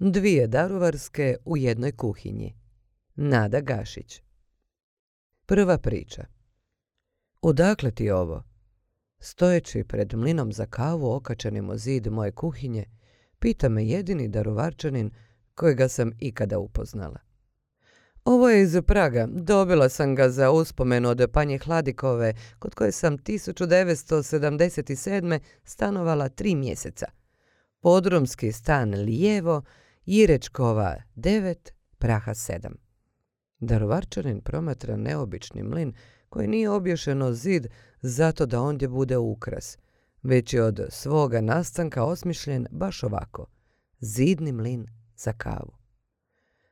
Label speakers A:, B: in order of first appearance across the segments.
A: Dvije daruvarske u jednoj kuhinji. Nada Gašić. Prva priča. Odakle ti ovo? Stojeći pred mlinom za kavu okačenim u zid moje kuhinje, pita me jedini daruvarčanin kojega sam ikada upoznala. Ovo je iz Praga. Dobila sam ga za uspomenu od panje Hladikove, kod koje sam 1977. stanovala 3 mjeseca. Podrumski stan lijevo, Jirečkova 9, Praha 7. Daruvarčanin promatra neobični mlin koji nije obješen o zid zato da ondje bude ukras, već je od svoga nastanka osmišljen baš ovako. Zidni mlin za kavu.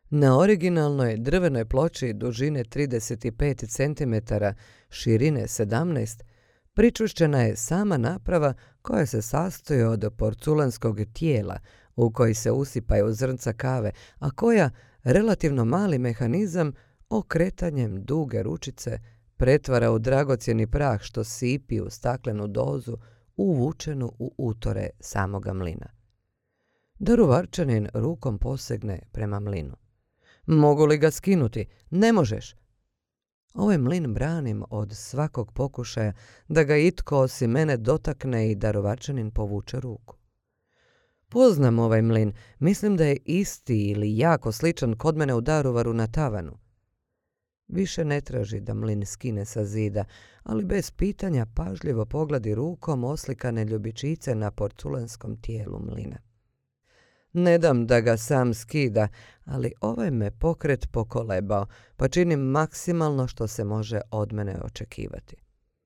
A: Na originalnoj drvenoj ploči dužine 35 cm, širine 17, pričušćena je sama naprava koja se sastoji od porculanskog tijela u koji se usipaju zrnca kave, a koja relativno mali mehanizam okretanjem duge ručice pretvara u dragocjeni prah što sipi u staklenu dozu uvučenu u utore samoga mlina. Daruvarčanin rukom posegne prema mlinu. Mogu li ga skinuti? Ne možeš. Ovaj mlin branim od svakog pokušaja da ga itko osim mene dotakne i daruvarčanin povuče ruku. Poznam ovaj mlin, mislim da je isti ili jako sličan kod mene u Daruvaru na tavanu. Više ne traži da mlin skine sa zida, ali bez pitanja pažljivo pogledi rukom oslikane ljubičice na porculanskom tijelu mlina. Ne dam da ga sam skida, ali ovaj me pokret pokolebao, pa činim maksimalno što se može od mene očekivati.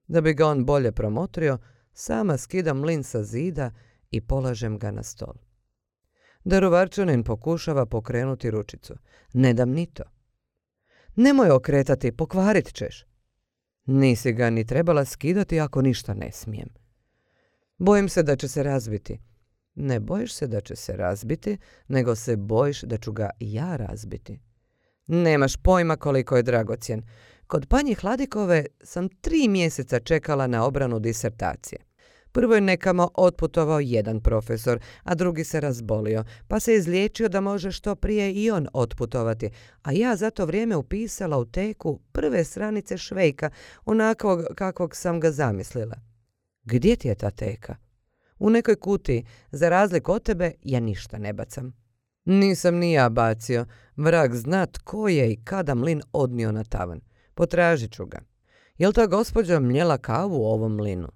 A: Da bi ga on bolje promotrio, sama skidam mlin sa zida i polažem ga na stol. Daruvarčanin pokušava pokrenuti ručicu. Ne dam ni to. Nemoj okretati, pokvarit ćeš. Nisi ga ni trebala skidati ako ništa ne smijem. Bojim se da će se razbiti. Ne bojiš se da će se razbiti, nego se bojiš da ću ga ja razbiti. Nemaš pojma koliko je dragocjen. Kod panje Hladikove sam 3 mjeseca čekala na obranu disertacije. Prvo je nekamo otputovao jedan profesor, a drugi se razbolio, pa se izliječio da može što prije i on otputovati, a ja za to vrijeme upisala u teku prve stranice Švejka, onakvog kakvog sam ga zamislila. Gdje ti je ta teka? U nekoj kutiji, za razliku od tebe, ja ništa ne bacam. Nisam ni ja bacio, vrag zna tko je i kada mlin odnio na tavan. Potražit ću ga. Jel ta gospođa mljela kavu u ovom mlinu?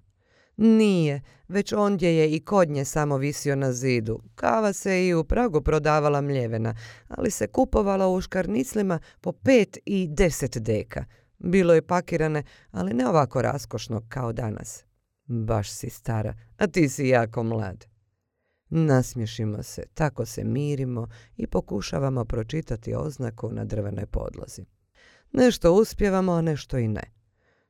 A: Nije, već ondje je i kod nje samo visio na zidu. Kava se i u Pragu prodavala mljevena, ali se kupovala u škarniclima po 5 i 10 deka. Bilo je pakirane, ali ne ovako raskošno kao danas. Baš si stara, a ti si jako mlad. Nasmiješimo se, tako se mirimo i pokušavamo pročitati oznaku na drvenoj podlozi. Nešto uspijevamo, a nešto i ne.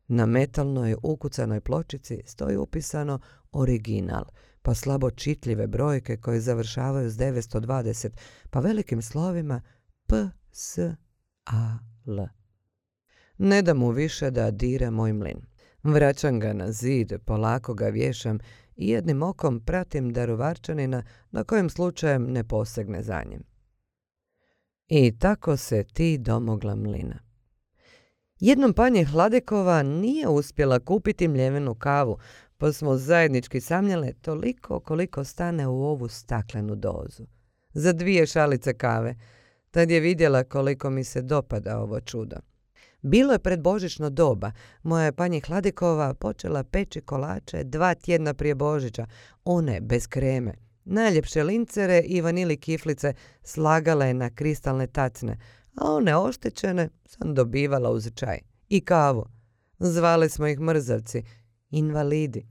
A: Na metalnoj ukucanoj pločici stoji upisano original, pa slabo čitljive brojke koje završavaju s 920, pa velikim slovima P, S, A, L. Ne da mu više da dira moj mlin. Vraćam ga na zid, polako ga vješam i jednim okom pratim daruvarčanina na kojem slučajem ne posegne za njim. I tako se ti domogla mlina. Jednom panje Hladikova nije uspjela kupiti mljevenu kavu, pa smo zajednički samljale toliko koliko stane u ovu staklenu dozu. Za 2 šalice kave. Tad je vidjela koliko mi se dopada ovo čudo. Bilo je predbožićno doba. Moja je panje Hladikova počela peći kolače 2 tjedna prije Božića, one bez kreme. Najljepše lincere i vanili kiflice slagala je na kristalne tacne, a one oštećene sam dobivala uz čaj. I kavu. Zvali smo ih mrzavci, invalidi.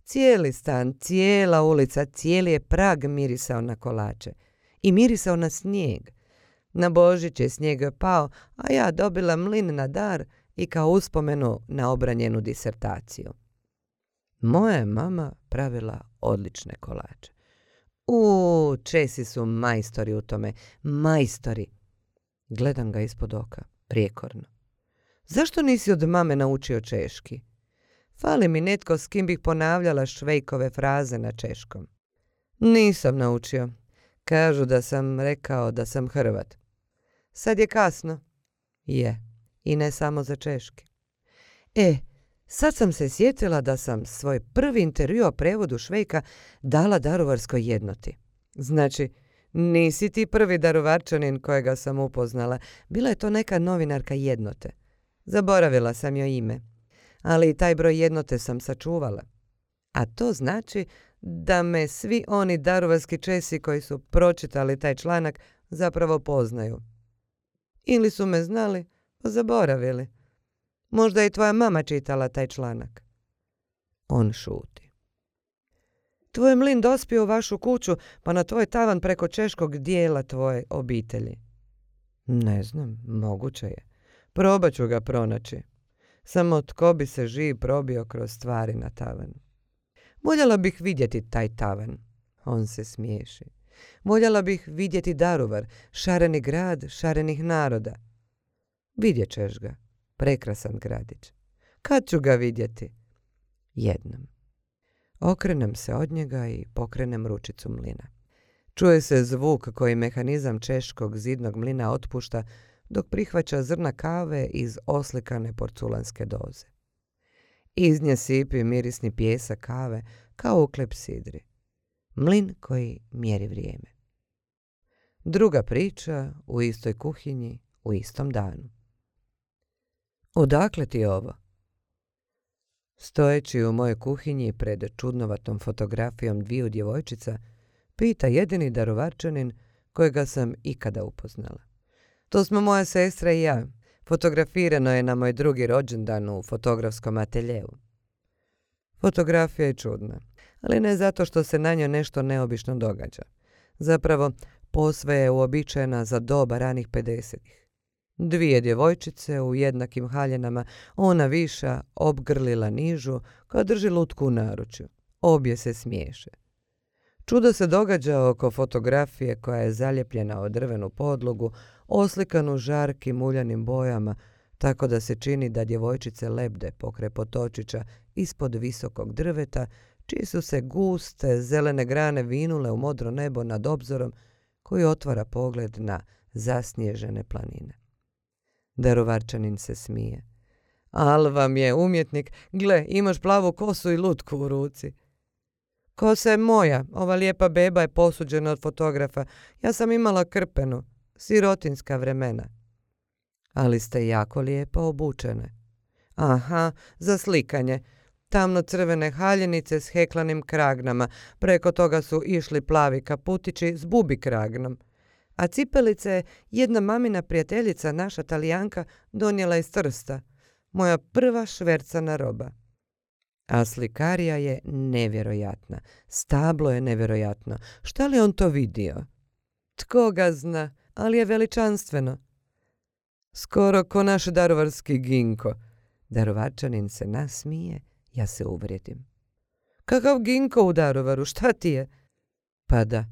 A: Cijeli stan, cijela ulica, cijeli je Prag mirisao na kolače. I mirisao na snijeg. Na Božić je snijeg pao, a ja dobila mlin na dar i kao uspomenu na obranjenu disertaciju. Moja je mama pravila odlične kolače. Česi su majstori u tome, majstori. Gledam ga ispod oka, prijekorno. Zašto nisi od mame naučio češki? Fali mi netko s kim bih ponavljala Švejkove fraze na češkom. Nisam naučio. Kažu da sam rekao da sam Hrvat. Sad je kasno. Je, i ne samo za češki. Sad sam se sjetila da sam svoj prvi intervju o prevodu Švejka dala daruvarskoj jednoti. Znači, nisi ti prvi daruvarčanin kojega sam upoznala. Bila je to neka novinarka jednote. Zaboravila sam joj ime. Ali i taj broj jednote sam sačuvala. A to znači da me svi oni daruvarski Česi koji su pročitali taj članak zapravo poznaju. Ili su me znali, pa zaboravili. Možda je i tvoja mama čitala taj članak. On šuti. Tvoj mlin dospio u vašu kuću, pa na tvoj tavan preko češkog dijela tvoje obitelji. Ne znam, moguće je. Probat ću ga pronaći. Samo tko bi se živ probio kroz stvari na tavan. Voljela bih vidjeti taj tavan. On se smiješi. Voljela bih vidjeti Daruvar, šareni grad šarenih naroda. Vidjet ćeš ga. Prekrasan gradić. Kad ću ga vidjeti? Jednom. Okrenem se od njega i pokrenem ručicu mlina. Čuje se zvuk koji mehanizam češkog zidnog mlina otpušta dok prihvaća zrna kave iz oslikane porculanske doze. Iz nje sipi mirisni pijesak kave kao u klepsidri. Mlin koji mjeri vrijeme. Druga priča u istoj kuhinji u istom danu. Odakle ti ovo? Stojeći u mojoj kuhinji pred čudnovatom fotografijom dviju djevojčica, pita jedini daruvarčanin kojega sam ikada upoznala. To smo moja sestra i ja. Fotografirano je na moj drugi rođendan u fotografskom ateljevu. Fotografija je čudna, ali ne zato što se na njoj nešto neobično događa. Zapravo, posve je uobičajena za doba ranih 50-ih. Dvije djevojčice u jednakim haljenama, ona viša obgrlila nižu koja drži lutku u naručju. Obje se smiješe. Čudo se događa oko fotografije koja je zalijepljena od drvenu podlogu, oslikanu žarkim uljanim bojama, tako da se čini da djevojčice lebde pokraj potočića ispod visokog drveta, čiji su se guste zelene grane vinule u modro nebo nad obzorom koji otvara pogled na zasnježene planine. Daruvarčanin se smije. Al vam je umjetnik, gle, imaš plavu kosu i lutku u ruci. Kosa je moja, ova lijepa beba je posuđena od fotografa. Ja sam imala krpenu, sirotinska vremena. Ali ste jako lijepo obučene. Aha, za slikanje. Tamno-crvene haljenice s heklanim kragnama, preko toga su išli plavi kaputići s bubi kragnom. A cipelice je jedna mamina prijateljica, naša Talijanka, donijela iz Trsta. Moja prva švercana roba. A slikarija je nevjerojatna. Stablo je nevjerojatno. Šta li on to vidio? Tko ga zna, ali je veličanstveno. Skoro ko naš daruvarski Ginko. Daruvarčanin se nasmije, ja se uvrijedim. Kakav Ginko u Daruvaru, šta ti je? Pa da,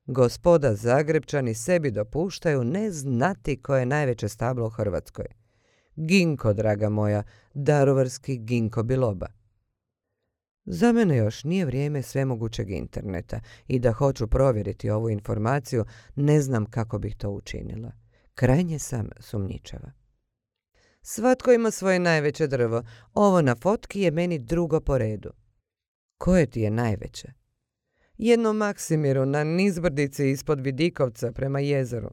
A: gospoda Zagrebčani sebi dopuštaju ne znati ko je najveće stablo u Hrvatskoj. Ginko, draga moja, daruvarski Ginko Biloba. Za mene još nije vrijeme svemogućeg interneta i da hoću provjeriti ovu informaciju, ne znam kako bih to učinila. Krajnje sam sumnjičava. Svatko ima svoje najveće drvo. Ovo na fotki je meni drugo po redu. Koje ti je najveće? Jedno Maksimiru na nizbrdici ispod Vidikovca prema jezeru.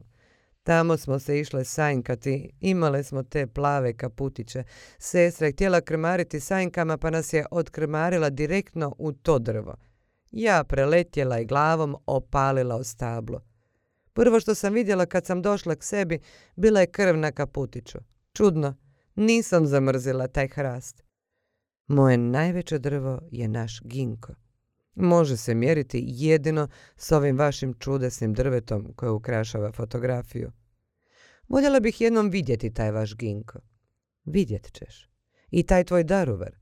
A: Tamo smo se išle sanjkati, imale smo te plave kaputiće. Sestra je htjela krmariti sanjkama pa nas je odkrmarila direktno u to drvo. Ja preletjela i glavom opalila o stablo. Prvo što sam vidjela kad sam došla k sebi bila je krv na kaputiću. Čudno, nisam zamrzila taj hrast. Moje najveće drvo je naš Ginko. Može se mjeriti jedino s ovim vašim čudesnim drvetom koje ukrašava fotografiju. Voljela bih jednom vidjeti taj vaš Ginko. Vidjet ćeš. I taj tvoj Daruvar.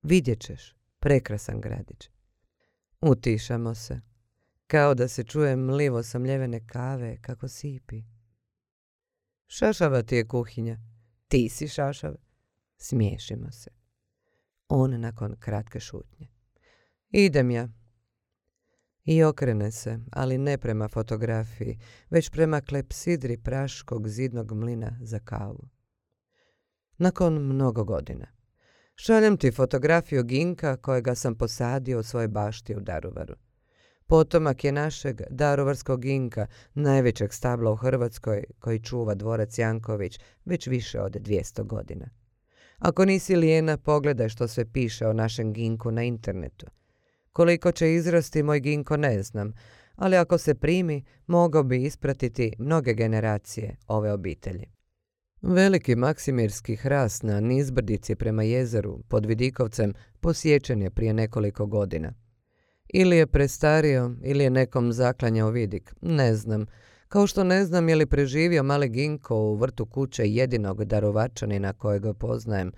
A: Vidjet ćeš. Prekrasan gradić. Utišamo se. Kao da se čuje mlivo samljevene kave kako sipi. Šašava ti je kuhinja. Ti si šašav. Smiješimo se. On nakon kratke šutnje. Idem ja. I okrene se, ali ne prema fotografiji, već prema klepsidri praškog zidnog mlina za kavu. Nakon mnogo godina. Šaljem ti fotografiju ginka kojega sam posadio u svojoj bašti u Daruvaru. Potomak je našeg daruvarskog ginka, najvećeg stabla u Hrvatskoj, koji čuva dvorac Janković već više od 200 godina. Ako nisi lijena, pogledaj što se piše o našem ginku na internetu. Koliko će izrasti moj ginko ne znam, ali ako se primi, mogao bi ispratiti mnoge generacije ove obitelji. Veliki maksimirski hrast na nizbrdici prema jezeru pod Vidikovcem posječen je prije nekoliko godina. Ili je prestario, ili je nekom zaklanjao vidik, ne znam. Kao što ne znam je li preživio mali ginko u vrtu kuće jedinog Daruvarčanina kojega poznajem.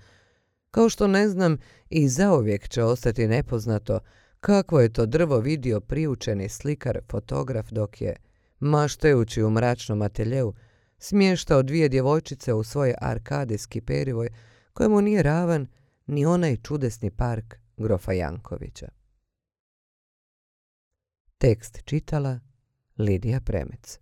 A: Kao što ne znam i zauvijek će ostati nepoznato kakvo je to drvo vidio priučeni slikar, fotograf dok je, maštajući u mračnom ateljeu, smještao 2 djevojčice u svoj arkadijski perivoj kojemu nije ravan ni onaj čudesni park grofa Jankovića. Tekst čitala Lidija Premec.